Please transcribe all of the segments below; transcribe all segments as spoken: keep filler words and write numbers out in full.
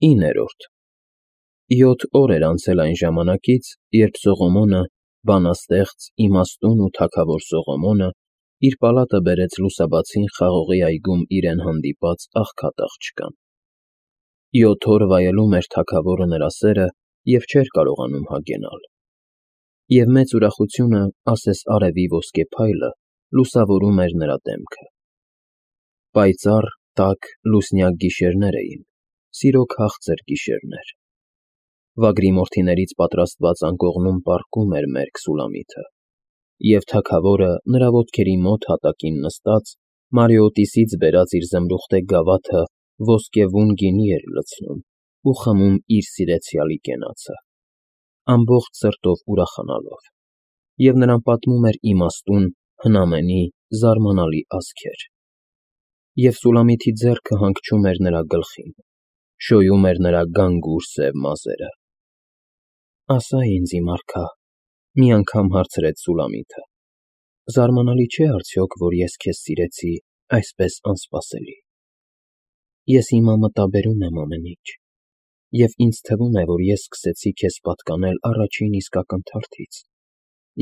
իններորդ Յոթ օր էր անցել այն ժամանակից, երբ Սողոմոնը, բանաստեղծ, իմաստուն ու թագավոր Սողոմոնը, իր պալատը բերեց լուսաբացին Խաղողի այգում իրեն հանդիպած աղքատ աղջկան։ Յոթ օր վայելում էր թագավորը նրա սերը և չէր կարողանում հագենալ։ Եվ մեծ ուրախությունը, ասես արևի ոսկե փայլը, լուսավորում էր նրա դեմքը։ Պայծառ, տաք, լուսնյակ գիշերներ էին, սիրո քաղցր գիշերներ։ Վագրի մորթիներից պատրաստված անկողնում պառկում էր մերկ Սուլամիթը, և թագավորը, նրա ոտքերի մոտ հատակին նստած, Մարիոտիսից բերած իր զմրուխտե գավաթը ոսկեվուն գինի էր լցնում ու խմում իր սիրեցյալի կենացը, ամբողջ սրտով ուրախանալով, և նրան պատմում էր իմաստուն, հնամենի, զարմանալի ասքեր։ Եվ Սուլամիթի ձեռքը հանգչում էր նրա գլխին, շոյում էր նրա գանգուր սև մազերը։ «Ասա ինձ, իմ արքա,֊ մի անգամ հարցրեց Սուլամիթը,֊ զարմանալի չէ՞ արդյոք, որ ես քեզ սիրեցի այսպես անսպասելի։ Ես հիմա մտաբերում եմ ամեն ինչ, և ինձ թվում է, որ ես սկսեցի քեզ պատկանել առաջին իսկ ակնթարթից,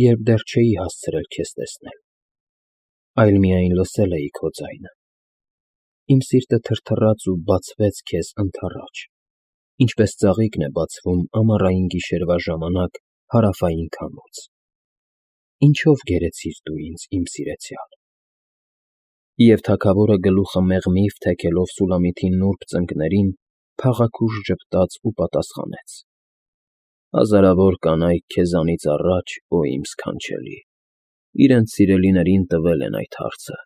երբ դեռ չէի հասցրել քեզ տեսնել, այլ միայն լսել էի քո ձայնը։ Իմ սիրտը թրթռաց ու բացվեց քեզ ընդառաջ, ինչպես ծաղիկն է բացվում ամառային գիշերվա ժամանակ հարավային քամուց։ Ինչո՞վ գերեցիր դու ինձ, իմ սիրեցյալ»։ Եվ թագավորը գլուխը մեղմիվ թեքելով Սուլամիթի նուրբ ծնկներին, փաղաքուշ ժպտաց ու պատասխանեց. «Հազարավոր կանայք քեզանից առաջ, օ իմ սքանչելի, իրենց սիրելիներին տվել են այդ հարցը,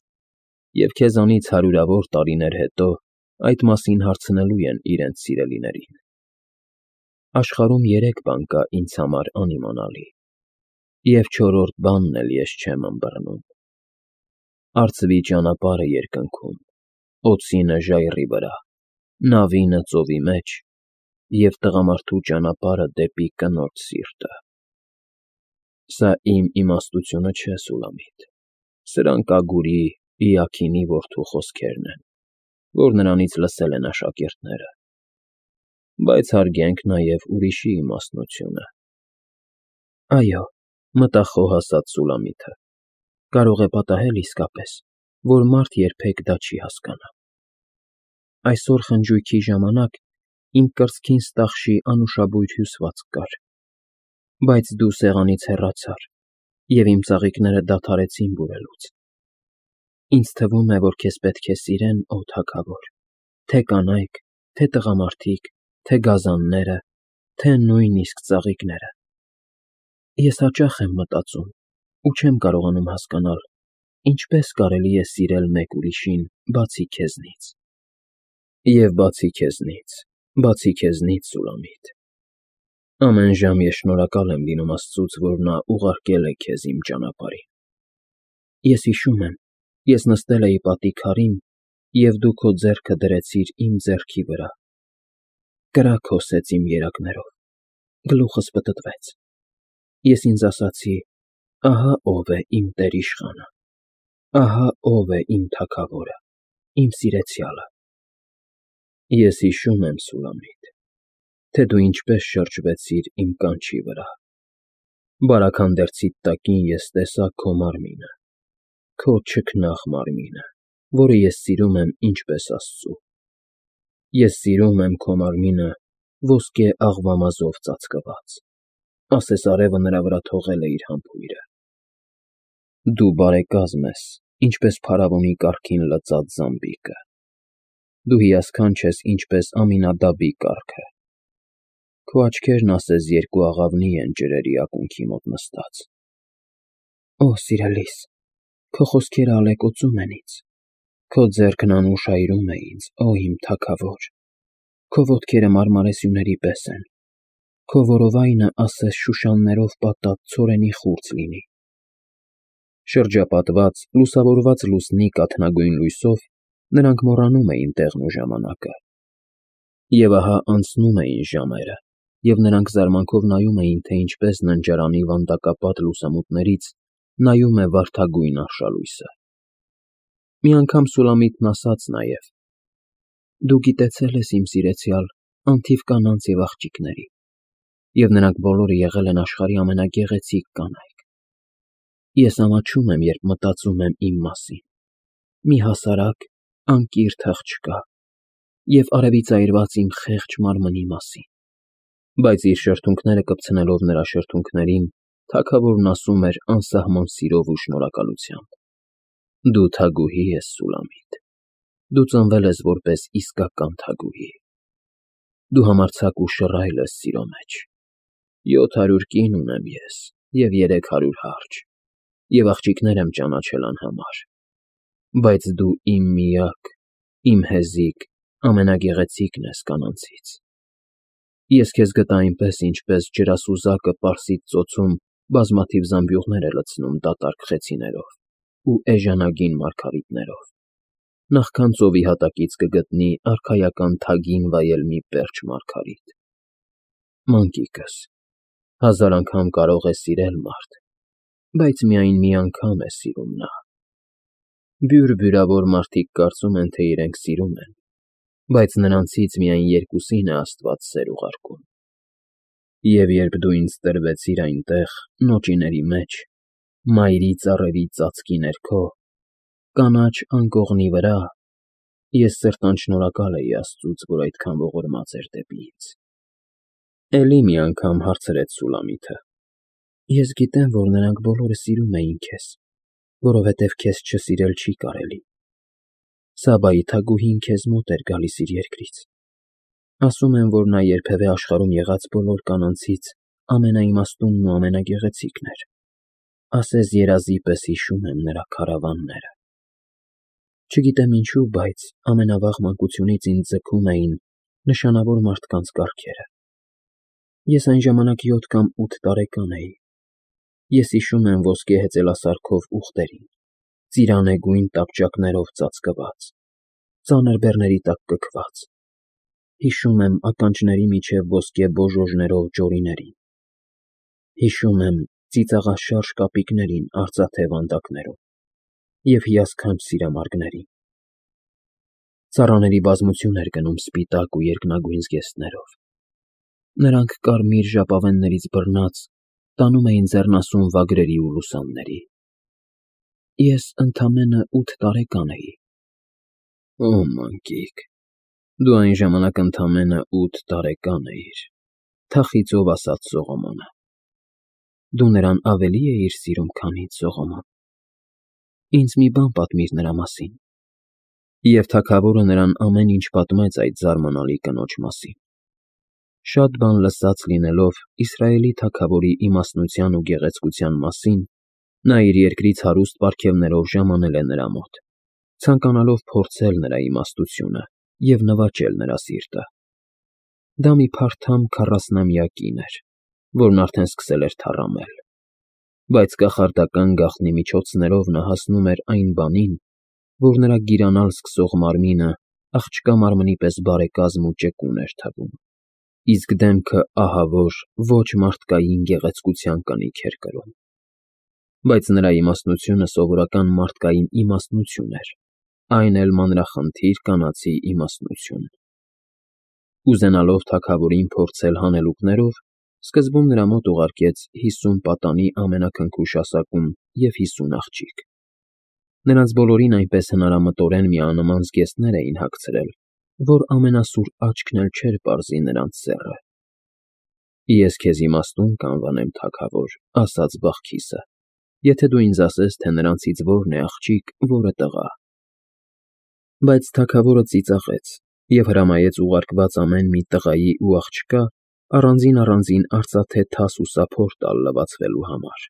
և քեզանից հարյուրավոր տարիներ հետո այդ մասին հարցնելու են իրենց սիրելիներին։ Աշխարհում երեք բան կա ինձ համար անիմանալի, և չորրորդ բանն էլ ես չեմ ըմբռնում. արծվի ճանապարհը երկնքում, օձինը ժայռի վրա, նավինը ծովի մեջ և տղամարդու ճանապարհը դեպի կնոջ սիրտը։ Սա իմ իմաստությունը չէ, Սուլամիթ, սրանք Ագուրի՝ Իաքինի որդու խոսքերն են, որ նրանից լսել են աշակերտները։ Բայց հարգենք նաև ուրիշի իմաստնությունը»։ Այո, մտավ խոհասաց Սուլամիթը, կարող է պատահել իսկապես, որ մարդ երբեք դա չի հասկանա։ Այսօր խնջույքի ժամանակ իմ կրծքին ստախշի անուշաբույր հյուսվածք կար, բայց դու սեղանից հեռացար, և իմ ծաղիկները դադարեցին բուրելուց։ Ինձ թվում է, որ քեզ պետք է սիրեն, օ թագավոր, թե կանայք, թե տղամարդիկ, թե գազանները, թե նույնիսկ ծաղիկները։ Ես հաճախ եմ մտածում ու չեմ կարողանում հասկանալ, ինչպես կարելի է սիրել մեկ ուրիշին, բացի քեզնից։ Եվ բացի քեզնից, բացի քեզնից, Սուլամիթ, ամեն ժամ ես շնորհակալ եմ լինում Աստծուց, որ նա ուղարկել է քեզ իմ ճանապարհին։ Ես հիշում եմ, ես նստել էի պատի քարին, և դու քո ձեռքը դրեցիր իմ ձեռքի վրա, կրակ հոսեց իմ երակներով, գլուխս պտտվեց։ Ես ինձ ասացի. ահա ով է իմ տեր֊իշխանը, ահա ով է իմ թագավորը, իմ սիրեցյալը։ Ես հիշում եմ, Սուլամիթ, թե դու ինչպես շրջվեցիր իմ կանչի վրա։ Բարաքանդերցիդ տակին ես տեսա քո մարմինը, քո չքնաղ մարմինը, որը ես սիրում եմ ինչպես Աստծու։ Ես սիրում եմ քո մարմինը ոսկե աղվամազով ծածկված, ասես արևը նրա վրա թողել է իր համբույրը։ Դու բարեկազմ ես, ինչպես փարավոնի կառքին լծած զամբիկը։ Դու հիասքանչ ես, ինչպես Ամինադաբի կառքը։ Քո աչքերն ասես երկու աղավնի են ջրերի ակունքի մոտ նստած։ Օ սիրելիս, քո խոսքերը ալեկոծում են ինձ, քո ձեռքն անուշայրում է ինձ, օ իմ թագավոր, քո ոտքերը մարմարեսյուների պես են, քո որովայնը ասես շուշաններով պատած ցորենի խուրձ լինի։ Շրջապատված, լուսավորված լուսնի կաթնագույն լույսով նրանք մոռանում էին տեղն ու ժամանակը։ Եվ ահա անցնում էին ժամերը, և նրանք զարմանքով նայում էին, թե ինչպես ննջարանի վանդակապատ լուսամուտներից նայում է վարդագույն արշալույսը։ Մի անգամ Սուլամիթն ասաց նաև. «Դու գիտեցել ես, իմ սիրեցյալ, անթիվ կանանց և աղջիկների, և նրանք բոլորը եղել են աշխարհի ամենագեղեցիկ կանայք։ Ես ամաչում եմ, երբ մտածում եմ իմ մասին, մի հասարակ, անկիրթ աղջկա և արևի ծայրված իմ խեղճ մարմնի մասին։ Բայց իր շրթունքները կպցնելով նրա շրթունքներին, թագավորն ասում էր անսահման սիրով ու շնորհակալությամբ. «Դու թագուհի ես, Սուլամիտ, դու ծնվել ես որպես իսկական թագուհի։ Դու համարձակ ու շռայլ ես սիրո մեջ։ Յոթ հարյուր կին ունեմ ես և երեք հարյուր հարջ, և աղջիկներ եմ ճանաչել անհամար։ Բայց դու իմ միակ, իմ հեզիկ, ամենագեղեցիկն ես կանանցից։ Ես քեզ գտա այնպես, ինչպես ջրասուզակը Պարսից ծոցում բազմաթիվ զամբյուղներ է լցնում դատարկ խեցիներով ու էժանագին մարգարիտներով, նախքան ծովի հատակից կգտնի արքայական թագին վայել մի պերճ մարգարիտ։ Մանկիկս, հազար անգամ կարող է սիրել մարդ, բայց միայն մի անգամ է սիրում նա։ Բյուր֊բյուրավոր մարդիկ կարծում են, թե իրենք սիրում են, բայց նրանցից միայն երկուսին է Աստված սեր ուղարկում։ Եվ երբ դու ինձ տրվեցիր այնտեղ, նոճիների մեջ, մայրի ծառերի ծածկի ներքո, կանաչ անկողնի վրա, ես սրտան շնորհակալ էի Աստծուց, որ այդքան ողորմած էր դեպի ինձ»։ Էլի մի անգամ հարցրեց Սուլամիթը. «Ես գիտեմ, որ նրանք բոլորը սիրում էին քեզ, որովհետև քեզ չսիրել չի կարելի։ Սաբայի թագուհին քեզ մոտ էր գալիս իր երկրից։ Ասում են, որ նա երբևէ աշխարհում եղած բոլոր կանանցից ամենաիմաստունն ու ամենագեղեցիկն էր։ Ասես երազի պես հիշում եմ նրա քարավանները։ Չգիտեմ ինչու, բայց ամենավաղ մանկությունից ինձ ձգում էին նշանավոր մարդկանց կառքերը։ Ես այն ժամանակ յոթ կամ ութ տարեկան էի։ Ես հիշում եմ ոսկե հեծելասարքով ուղտերին, ծիրանեգույն տապճակներով ծածկված, ծանր բեռների տակ կքված։ Հիշում եմ ականջների միջև ոսկե բոժոժներով ջորիներին։ Հիշում եմ ծիծաղաշարժ կապիկներին արծաթե վանդակներում և հիասքանչ սիրամարգներին։ Ծառաների բազմություն էր գնում սպիտակ ու երկնագույն զգեստներով։ Նրանք կարմիր ժապավեններից բռնած տանում էին ձեռնասուն վագրերի ու լուսանների։ Ես ընդամենը ութ տարեկան էի։ Օ, մանկիկ, դու այն ժամանակ ընդամենը ութ տարեկան էիր, թախիծով ասաց Սողոմոնը։ Դու նրան ավելի էիր սիրում, քան ինձ, Սողոմոն։ Ինձ մի բան պատմիր նրա մասին։ Եվ թագավորը նրան ամեն ինչ պատմեց այդ զարմանալի կնոջ մասին։ Շատ բան լսած լինելով Իսրայելի թագավորի իմաստնության ու գեղեցկության մասին, նա իր երկրից հարուստ պարգևներով ժամանել է նրա մոտ, ցանկանալով փորձել նրա իմաստությունը և նվաճել նրա սիրտը։ Դա մի փարթամ քառասնամյա կին էր, որն արդեն սկսել էր թառամել։ Բայց կախարդական գաղտնի միջոցներով նա հասնում էր այն բանին, որ նրա գիրանալ սկսող մարմինը աղջկա մարմնի պես բարեկազմ ու ճկուն էր թվում, իսկ դեմքը ահավոր, ոչ մարդկային գեղեցկության կնիք էր կրում։ Բայց նրա իմաստնությունը սովորական մարդկային իմաստնություն էր, այն էլ մանրախնդիր կանացի իմաստնություն։ Ուզենալով թագավորին փորձել հանելուկներով, սկզբում նրա մոտ ուղարկեց հիսուն պատանի ամենաքնքուշ ասակում և հիսուն աղջիկ։ Նրանց բոլորին այնպես հնարամտորեն միանման զգեստներ էին հագցրել, որ ամենասուր աչքն էլ չէր պարզի նրանց սեռը։ Ես քեզ իմաստուն կանվանեմ, թագավոր, ասաց Բախքիսը, եթե դու ինձ ասես, թե նրանցից որն է աղջիկ, որը տղա։ Բայց թագավորը ծիծաղեց և հրամայեց ուղարկված ամեն մի տղայի ու աղջկա առանձին֊առանձին արծաթե թաս ու սափոր տալ լվացվելու համար։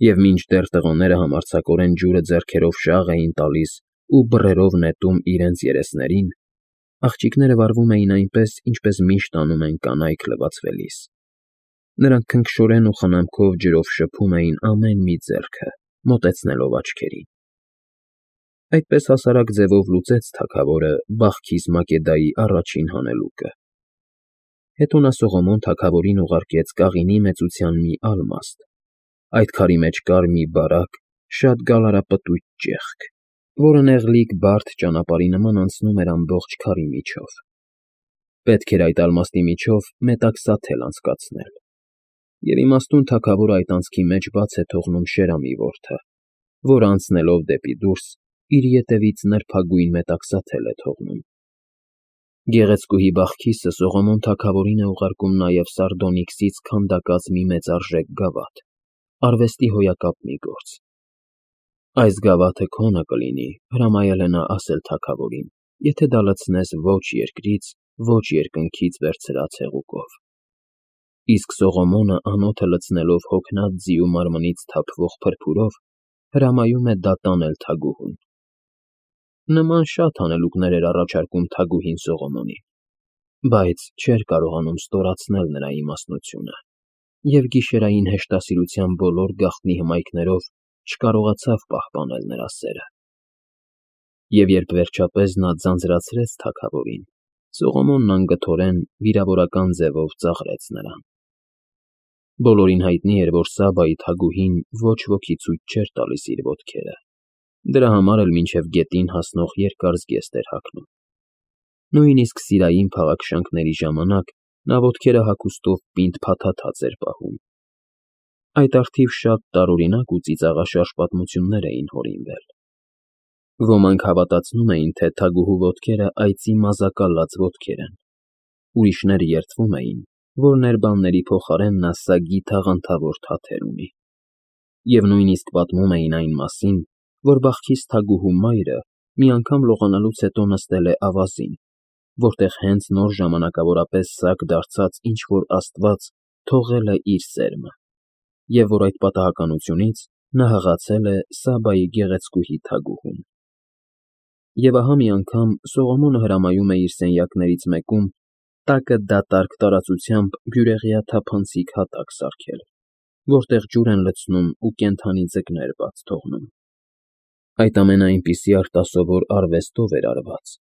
Եվ մինչդեռ տղաները համարձակորեն ջուրը ձեռքերով շաղ էին տալիս ու բռերով նետում իրենց երեսներին, աղջիկները վարվում էին այնպես, ինչպես միշտ անում են կանայք լվացվելիս։ Նրանք քնքշորեն ու խնամքով ջրով շփում էին ամեն մի ձեռքը, մոտեցնելով աչքերին։ Այդպես հասարակ ձևով լուծեց թագավորը Բախքիս Մակեդայի առաջին հանելուկը։ Հետո նա Սողոմոն թագավորին ուղարկեց կաղինի մեծության մի ալմաստ, այդ քարի մեջ կար մի բարակ, շատ գալարապտույտ ճեղք, որը նեղլիկ բարդ ճանապարհի նման անցնում էր ամբողջ քարի միջով։ Պետք էր այդ ալմաստի միջով մետաքսաթել անցկացնել, և իմաստուն թագավորը այդ անցքի մեջ բաց է թողնում Շերամի որդը, որ անցնելով դեպի դուրս իր ետևից նրբագույն մետաքսաթել է թողնում։ Գեղեցկուհի բախկիսը Սողոմոն թագավորին է ուղարկում նաև սարդոնիքսից քանդակած մի մեծարժեք գավաթ, արվեստի հոյակապ մի գործ։ Այս գավաթը քոնը կլինի, հրամայել է նա ասել թագավորին, եթե դա լցնես ոչ երկրից, ոչ երկնքից վերցրած հեղուկով։ Իսկ Սողոմոնը անոթը լցնելով հոգնած ձիու մարմնից թափվող փրփուրով, հրամայում է դա տանել թագուհուն։ Նման շատ հանելուկներ էր առաջարկում թագուհին Սողոմոնին, բայց չէր կարողանում ստորացնել նրա իմաստնությունը, և գիշերային հեշտասիրության բոլոր գաղտնի հմայքներով չկարողացավ պահպանել նրա սերը։ Եվ երբ վերջապես նա ձանձրացրեց թագավորին, Սողոմոնն անգթորեն վիրավորական ձևով ծաղրեց նրան։ Բոլորին հայտնի էր, որ Սաբայի թագուհին ոչ ոքի ցույց չէր տալիս իր ոտքերը, դրա համար էլ մինչև գետին հասնող երկար զգեստ էր հագնում։ Նույնիսկ սիրային փաղաքշանքների ժամանակ նա ոտքերը հագուստով պինդ փաթաթած էր պահում։ Այդ առթիվ շատ տարօրինակ ու ծիծաղաշարժ պատմություններ էին հորինվել։ Ոմանք հավատացնում էին, թե թագուհու ոտքերը այծի մազակալած ոտքեր են, ուրիշները երդվում էին, որ ներբանների փոխարեն նա սագի թաղանթավոր թաթեր ունի, և նույնիսկ պատմում էին այն մասին, որ բախկիս թագուհու մայրը մի անգամ լողանալուց հետո նստել է ավազին, որտեղ հենց նոր ժամանակավորապես սаг դարձած ինչ-որ աստված թողել է իր սերմը, և որ այդ պատահականությունից նա հղացել է Սաբայի գեղեցկուհի թագուհուն։ Եվ ահա մի անգամ Սողոմոնը հրամայում է իր սենյակներից մեկում տակը դատարկ տարածությամբ բյուրեղյա թափանցիկ հատակ սարքել, որտեղ ջուր են լցնում ու կենդանի ձկներ բաց թողնում։ Այդ ամենը այնպիսի արտասովոր արվեստով էր արված,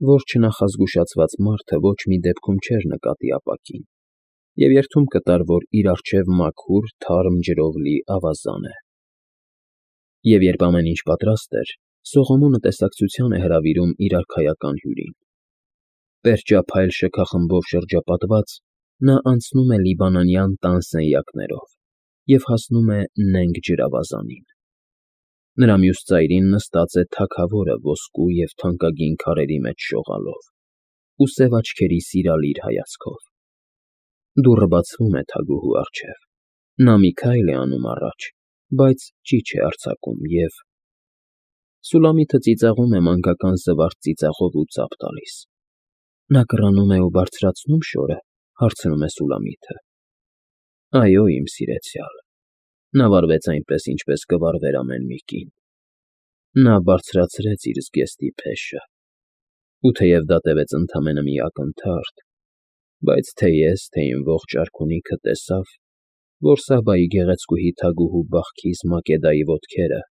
որ չնախազգուշացված մարդը ոչ մի դեպքում չէր նկատի ապակին, և երդում կտար, որ իր առջև մաքուր, թարմ ջրով լի ավազան է։ Եվ երբ ամեն ինչ պատրաստ էր, Սողոմոնը տեսակցության է հրավիրում իր արքայական հյուրին։ Պերճափայլ շքախմբով շրջապատված՝ նա անցնում է լիբանանյան տան սենյակներով և հասնում է նենգ ջրավազանին։ Նրա մյուս ծայրին նստած է թագավորը ոսկու և թանկագին քարերի մեջ շողալով ու սև աչքերի սիրալիր հայացքով։ Դուռը բացվում է թագուհու առջև, նա մի քայլ է անում առաջ, բայց ճիչ է արձակում և… Սուլամիթը ծիծաղում է մանկական զվարթ ծիծաղով ու ծափ տալիս։ Նա կռանում է ու բարձրացնո՞ւմ շորը, հարցնում է Սուլամիթը։ Այո, իմ սիրեցյալ, նա վարվեց այնպես, ինչպես կվարվեր ամեն մի կին։ Նա բարձրացրեց իր զգեստի փեշը, ու թեև դա տևեց ընդամենը մի ակնթարթ, բայց թե ես, թե իմ ողջ արքունիքը տեսավ, որ Սաբայի գեղեցկուհի թագուհու բախկիս Մակեդայի ոտքերը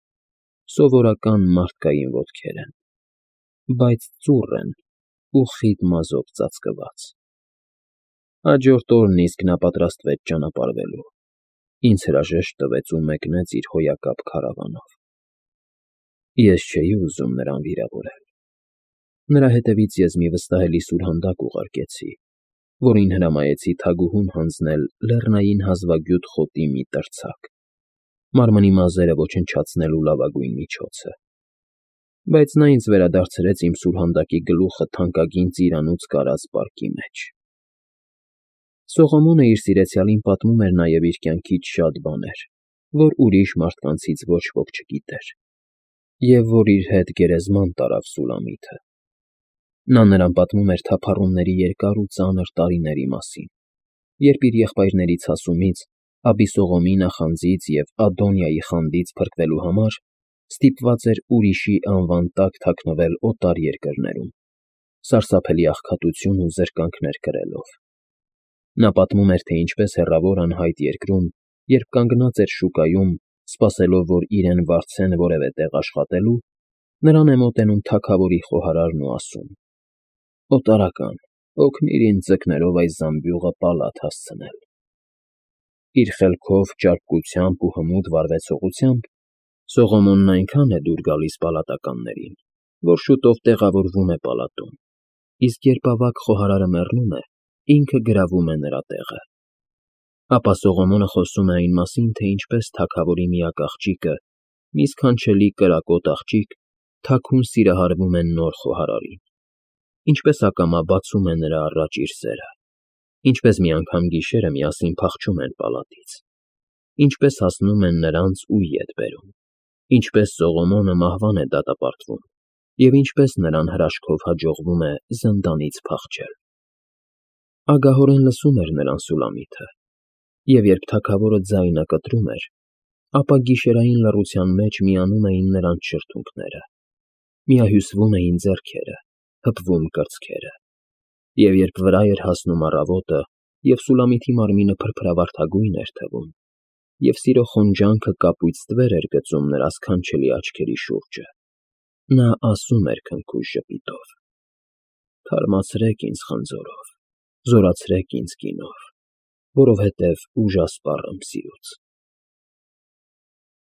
սովորական մարդկային ոտքեր են, բայց ծուռ են ու խիտ մազով ծածկված։ Հաջորդ օրն իսկ նա պատրաստվեց ճանապարհվելու, ինձ հրաժեշտ տվեց ու մեկնեց իր հոյակապ քարավանով։ Ես չէի ուզում նրան վիրավորել։ Նրա հետևից ես մի վստահելի սուրհանդակ ուղարկեցի, որին հրամայեցի թագուհուն հանձնել լեռնային հազվագյուտ խոտի մի տրցակ, մարմնի մազերը ոչնչացնելու լավագույն միջոցը։ Բայց նա ինձ վերադարձրեց իմ սուրհանդակի գլուխը թանկագին ծիրանուց կարած պարկի մեջ։ Սողոմոնը իր սիրեցյալին պատմում էր նաև իր կյանքից շատ բաներ, որ ուրիշ մարդկանցից ոչ ոք չգիտեր, և որ իր հետ գերեզման տարավ Սուլամիթը։ Նա նրան պատմում էր թափառումների երկար ու ծանր տարիների մասին, երբ իր եղբայրների ցասումից, Աբիսողոմի նախանձից և Ադոնիայի խանդից փրկվելու համար ստիպված էր ուրիշի անվան տակ թաքնվել օտար երկրներում, սարսափելի աղքատություն ու զրկանքներ կրելով։ Նա պատմում էր, թե ինչպես հեռավոր անհայտ երկրում, երբ կանգնած էր շուկայում, սպասելով, որ իրեն վարձեն որևէ տեղ աշխատելու, նրան է մոտենում թագավորի խոհարարն ու ասում. «Օտարական, օգնիր ինձ ձկներով այս զամբյուղը պալատ հասցնել»։ Իր խելքով, ճարպկությամբ ու հմուտ վարվեցողությամբ Սողոմոնն այնքան է դուր գալիս պալատականներին, որ շուտով տեղավորվում է պալատում իսկ երբ ավագ խոհարարը մեռնում է, ինքը գրավում է նրա տեղը։ Ապա Սողոմոնը խոսում է այն մասին, թե ինչպես թագավորի միակ աղջիկը, մի սքանչելի կրակոտ աղջիկ, թաքուն սիրահարվում է նոր խոհարարին, ինչպես ակամա բացում է նրա առաջ իր սերը, ինչպես մի անգամ գիշերը միասին փախչում են պալատից, ինչպես հասնում են նրանց ու ետ բերում, ինչպես Սողոմոնը մահվան է դատապարտվում և ինչպես նրան հրաշքով հաջողվում է զնդանից փախչել։ Ագահորեն լսում էր նրան Սուլամիթը, և երբ թագավորը ձայնը կտրում էր, ապա գիշերային լռության մեջ միանում էին նրանց շրթունքները, միահյուսվում էին ձեռքերը, հպվում կրծքերը, և երբ վրա էր հասնում առավոտը, և Սուլամիթի մարմինը փրփրավարդագույն էր թվում, և սիրո խոնջանքը կապույտ ստվեր էր գծում նրա սքանչելի աչքերի շուրջը, նա ասում էր քնքուշ ժպիտով. «Թարմացրեք ինձ խնձորով, զորացրեք ինձ գինով, որովհետև ուժասպառ եմ սիրուց»։